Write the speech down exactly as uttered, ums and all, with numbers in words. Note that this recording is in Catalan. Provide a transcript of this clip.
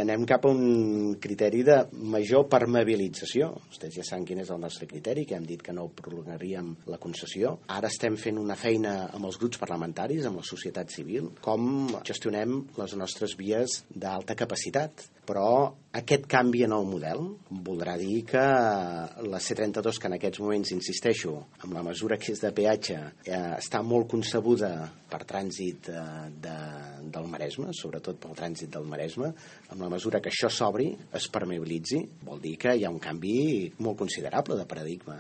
Anem cap a un criteri de major permeabilització. Vostès ja saben quin és el nostre criteri, que hem dit que no prolongaríem la concessió. Ara estem fent una feina amb els grups parlamentaris, amb la societat civil, com gestionem les nostres vies d'alta capacitat. Però aquest canvi en el model voldrà dir que la C trenta-dos, que en aquests moments, insisteixo, amb la mesura que és de peatge, eh, està molt concebuda per trànsit eh, de, del Maresme, sobretot pel trànsit del Maresme, amb la mesura que això s'obri, es permeabilitzi, vol dir que hi ha un canvi molt considerable de paradigma.